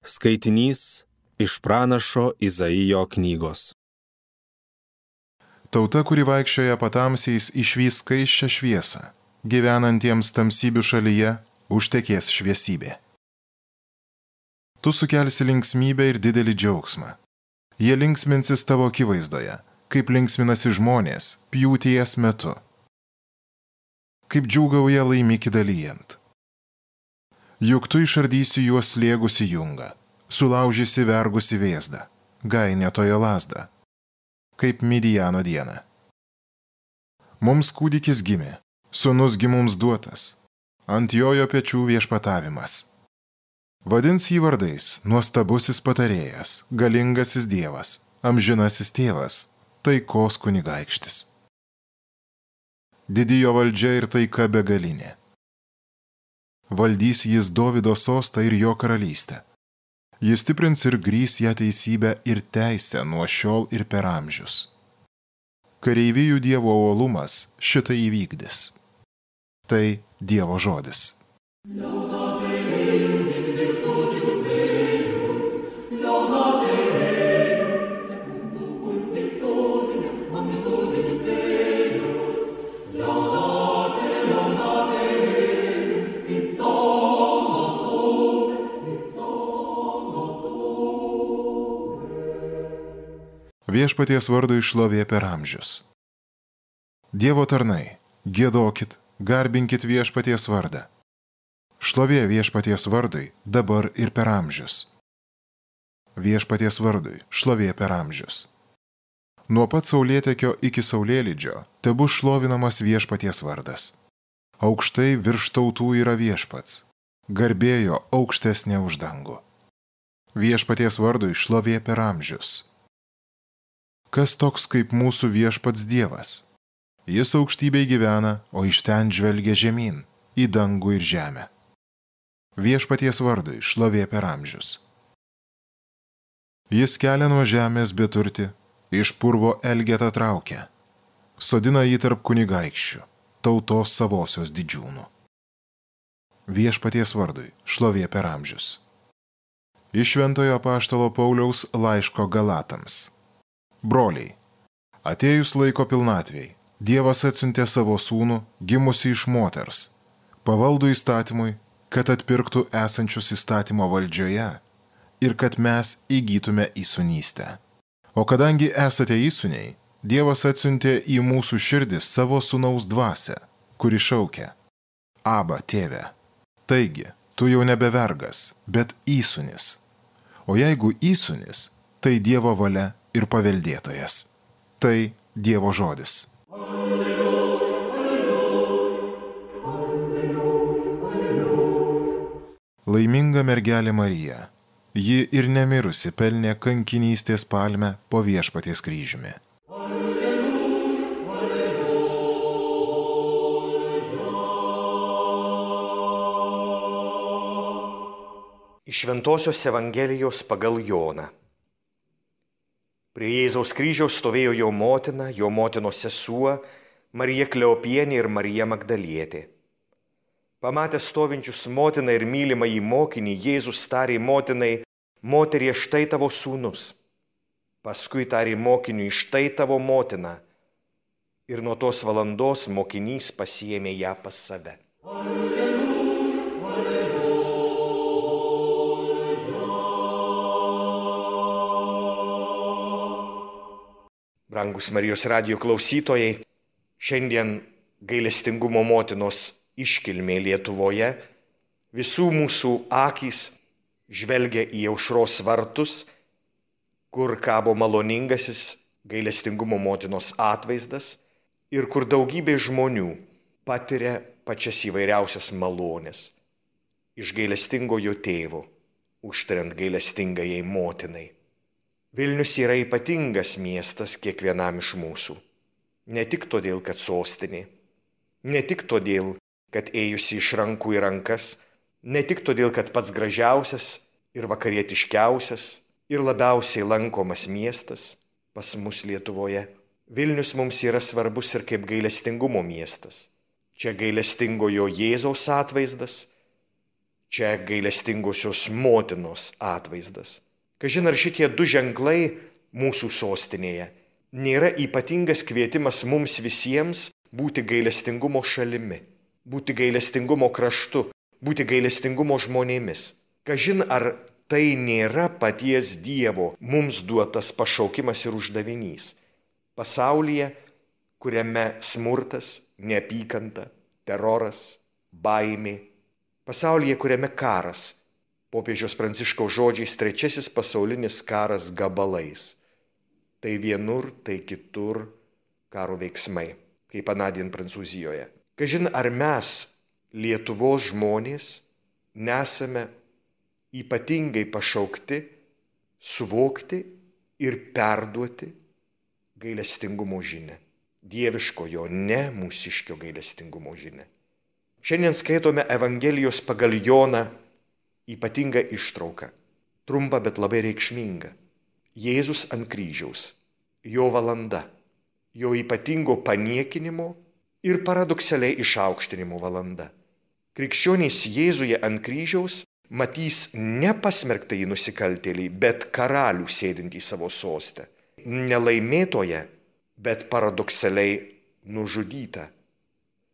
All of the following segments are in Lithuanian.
Skaitinys iš pranašo Izaijo knygos. Tauta, kuri vaikščioja patamsiais, išvys skaisčią šviesą. Gyvenantiems tamsybių šalyje užtekės šviesybė. Tu sukelsi linksmybę ir didelį džiaugsmą. Jie linksminsis tavo akivaizdoje, kaip linksminasi žmonės pjūties metu. Kaip džiūgauja laimikį dalyjant. Juk tu išardysi juos slėgusi jungą, sulaužysi vergusi vėzdą, gainėtojo lazdą, kaip Midijano dieną. Mums kūdikis gimė, sūnus gi mums duotas, ant jojo pečių viešpatavimas. Vadins jį vardais nuostabusis patarėjas, galingasis dievas, amžinasis tėvas, taikos kunigaikštis. Didijo valdžia ir taika begalinė. Valdys jis Dovydo sostą ir jo karalystę. Jis stiprins ir grįs ją teisybę ir teisę nuo šiol ir per amžius. Kareivijų Dievo uolumas šitai įvykdys. Tai Dievo žodis. Viešpaties vardui šlovė per amžius. Dievo tarnai, giedokit, garbinkit viešpaties vardą. Šlovė viešpaties vardui dabar ir per amžius. Viešpaties vardui šlovė per amžius. Nuo pat saulėtekio iki saulėlydžio tebus šlovinamas viešpaties vardas. Aukštai virš tautų yra viešpats, garbėjo aukštesnė už dangų. Viešpaties vardui šlovė per amžius. Kas toks kaip mūsų viešpats Dievas? Jis aukštybėj gyvena, o iš ten žvelgia žemyn, į dangų ir žemę. Viešpaties vardui šlovė per amžius. Jis kelia nuo žemės beturtį, iš purvo elgetą traukia. Sodina jį tarp kunigaikščių, tautos savosios didžiūnų. Viešpaties vardui šlovė per amžius. Iš Šventojo apaštalo Pauliaus laiško Galatams. Broliai, atėjus laiko pilnatvei, Dievas atsiuntė savo sūnų, gimusį iš moters, pavaldų įstatymui, kad atpirktų esančius įstatymo valdžioje ir kad mes įgytume įsūnystę. O kadangi esate įsūniai, Dievas atsiuntė į mūsų širdis savo sūnaus dvasią, kuri šaukia: Aba, tėve. Taigi, tu jau nebe vergas, bet įsūnis. O jeigu įsūnis, tai Dievo valia ir paveldėtojas. Tai Dievo žodis. Laiminga mergelė Marija, ji ir nemirusi pelnė kankinystės palmę po viešpaties kryžiumi. Iš Šventosios Evangelijos pagal Joną. Prie Jėzaus kryžiaus stovėjo jo motina, jo motinos sesuo, Marija Kleopienė ir Marija Magdalietė. Pamatęs stovinčius motiną ir mylimą į mokinį, Jėzus tarė motinai: Moterie, štai tavo sūnus. Paskui tarė mokiniui: Štai tavo motina. Ir nuo tos valandos mokinys pasiėmė ją pas save. Brangus Marijos radijo klausytojai, šiandien gailestingumo motinos iškilmė Lietuvoje, visų mūsų akys žvelgia į aušros vartus, kur kabo maloningasis gailestingumo motinos atvaizdas ir kur daugybė žmonių patiria pačias įvairiausias malones iš gailestingojo tėvo, užtariant gailestingajai motinai. Vilnius yra ypatingas miestas kiekvienam iš mūsų. Ne tik todėl, kad sostinė, ne tik todėl, kad ėjusi iš rankų į rankas, ne tik todėl, kad pats gražiausias ir vakarietiškiausias ir labiausiai lankomas miestas pas mus Lietuvoje. Vilnius mums yra svarbus ir kaip gailestingumo miestas. Čia gailestingojo Jėzaus atvaizdas, Čia gailestingosios motinos atvaizdas. Kažin ar šitie du ženklai mūsų sostinėje nėra ypatingas kvietimas mums visiems būti gailestingumo šalimi, būti gailestingumo kraštu, būti gailestingumo žmonėmis. Kažin ar tai nėra paties Dievo mums duotas pašaukimas ir uždavinys. Pasaulyje, kuriame smurtas, neapykanta, teroras, baimė, pasaulyje, kuriame karas, popiežiaus Pranciškaus žodžiais, 3 pasaulinis karas gabalais. Tai vienur, tai kitur karo veiksmai, kaip anadien Prancūzijoje. Kažin ar mes, Lietuvos žmonės, nesame ypatingai pašaukti, suvokti ir perduoti gailestingumo žinią. Dieviškojo, ne mūsiškio gailestingumo žinią. Šiandien skaitome Evangelijos pagal Joną ypatingą ištrauką, trumpą, bet labai reikšmingą. Jėzus ant kryžiaus, jo valanda, jo ypatingo paniekinimo ir paradoksaliai išaukštinimo valanda. Krikščionys Jėzuje ant kryžiaus matys ne pasmerktąjį nusikaltėlį, bet karalių sėdintį savo sostę. Nelaimėtoje, bet paradoksaliai nužudytą.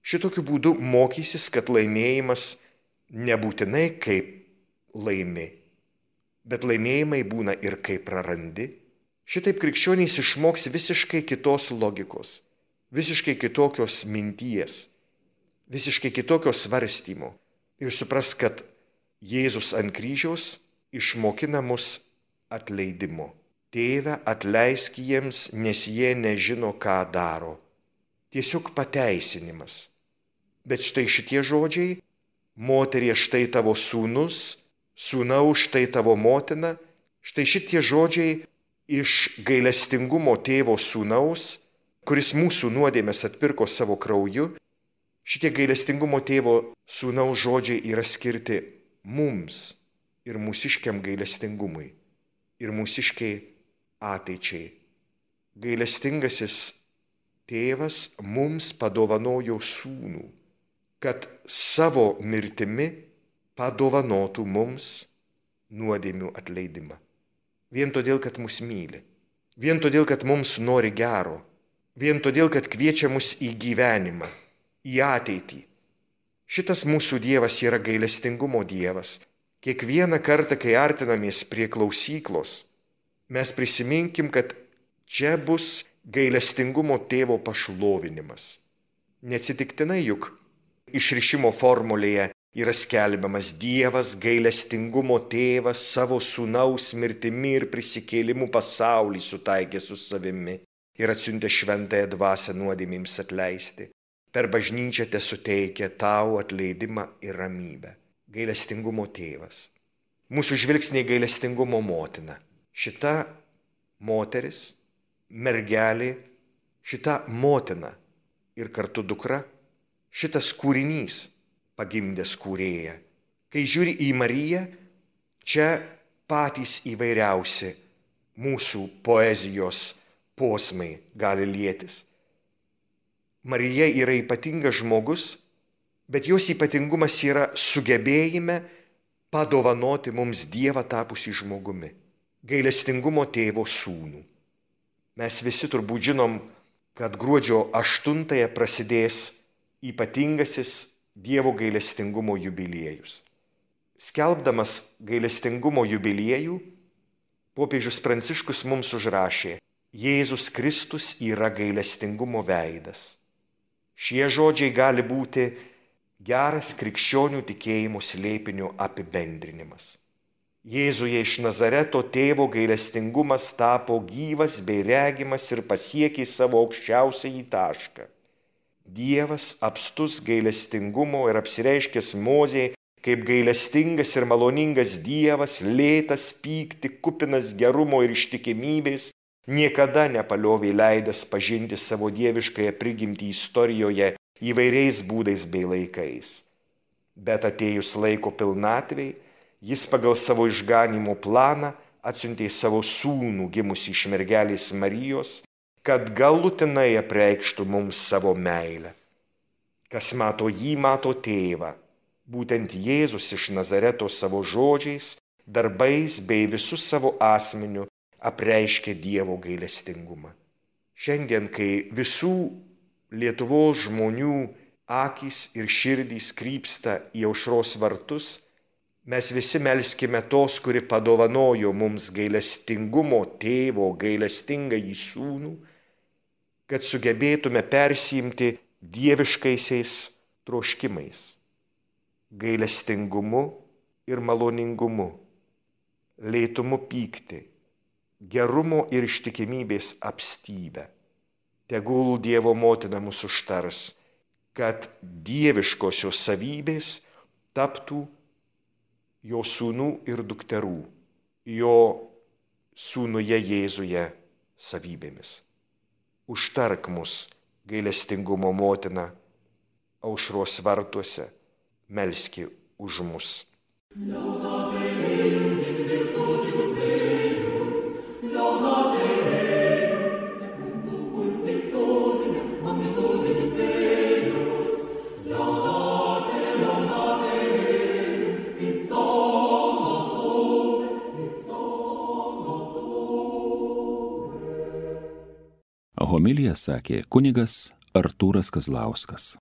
Šitokiu būdu mokysis, kad laimėjimas nebūtinai kaip laimi, bet laimėjimai būna ir kaip prarandi. Šitaip krikščionys išmoks visiškai kitos logikos, visiškai kitokios minties, visiškai kitokios svarstymo ir supras, kad Jėzus ant kryžiaus išmokina mus atleidimo. Tėve, atleisk jiems, nes jie nežino, ką daro. Tiesiog pateisinimas. Bet štai šitie žodžiai, moterie, štai tavo sūnus, sūnau, štai tavo motina, štai šitie žodžiai iš gailestingumo tėvo sūnaus, kuris mūsų nuodėmes atpirko savo krauju, šitie gailestingumo tėvo sūnaus žodžiai yra skirti mums ir mūsiškiam gailestingumui ir mūsiškiai ateičiai. Gailestingasis tėvas mums padovanojo sūnų, kad savo mirtimi padovanotų mums nuodėmių atleidimą. Vien todėl, kad mus myli, vien todėl, kad mums nori gero, vien todėl, kad kviečia mus į gyvenimą, į ateitį. Šitas mūsų Dievas yra gailestingumo Dievas. Kiekvieną kartą, kai artinamės prie klausyklos, mes prisiminkim, kad čia bus gailestingumo tėvo pašlovinimas. Neatsitiktinai juk išrišimo formulėje yra skelbiamas Dievas gailestingumo tėvas savo sūnaus mirtimi ir prisikėlimu pasaulį sutaikė su savimi ir atsiuntė šventąją dvasią nuodėmėms atleisti. Per bažnyčią tesuteikia tau atleidimą ir ramybę. Gailestingumo tėvas. Mūsų žvilgsniai gailestingumo motina. Šita moteris, mergelė, šita motina ir kartu dukra, šitas kūrinys pagimdęs kūrėją. Kai žiūri į Mariją, čia patys įvairiausi mūsų poezijos posmai gali lietis. Marija yra ypatingas žmogus, bet jos ypatingumas yra sugebėjime padovanoti mums Dievą tapusį žmogumi, gailestingumo tėvo sūnų. Mes visi turbūt žinom, kad gruodžio 8 prasidės ypatingasis Dievo gailestingumo jubiliejus. Skelbdamas gailestingumo jubiliejų, popiežius Pranciškus mums užrašė: Jėzus Kristus yra gailestingumo veidas. Šie žodžiai gali būti geras krikščionių tikėjimo slėpinio apibendrinimas. Jėzuje iš Nazareto tėvo gailestingumas tapo gyvas bei regimas ir pasiekė savo aukščiausiąjį tašką. Dievas apstus gailestingumo ir apsireiškęs Mozei kaip gailestingas ir maloningas Dievas, lėtas pykti, kupinas gerumo ir ištikimybės, niekada nepaliovė leidęs pažinti savo dieviškąją prigimtį istorijoje įvairiais būdais bei laikais. Bet atėjus laiko pilnatvei, jis pagal savo išganymo planą atsiuntė savo sūnų gimusį iš mergelės Marijos, kad galutinai apreikštų mums savo meilę. Kas mato jį, mato tėvą. Būtent Jėzus iš Nazareto savo žodžiais, darbais bei visų savo asmeniu apreiškė Dievo gailestingumą. Šiandien, kai visų Lietuvos žmonių akys ir širdys krypsta į aušros vartus, mes visi melskime tos, kuri padovanojo mums gailestingumo tėvo gailestingąjį sūnų, kad sugebėtume persiimti dieviškaisiais troškimais, gailestingumu ir maloningumu, lėtumu pykti, gerumo ir ištikimybės apstybę. Tegul Dievo motina mus užtars, kad dieviškosios savybės taptų jo sūnų ir dukterų, jo sūnuje Jėzuje savybėmis. Užtark mus, gailestingumo motina, aušros vartuose, melski už mus. Homiliją sakė kunigas Artūras Kazlauskas.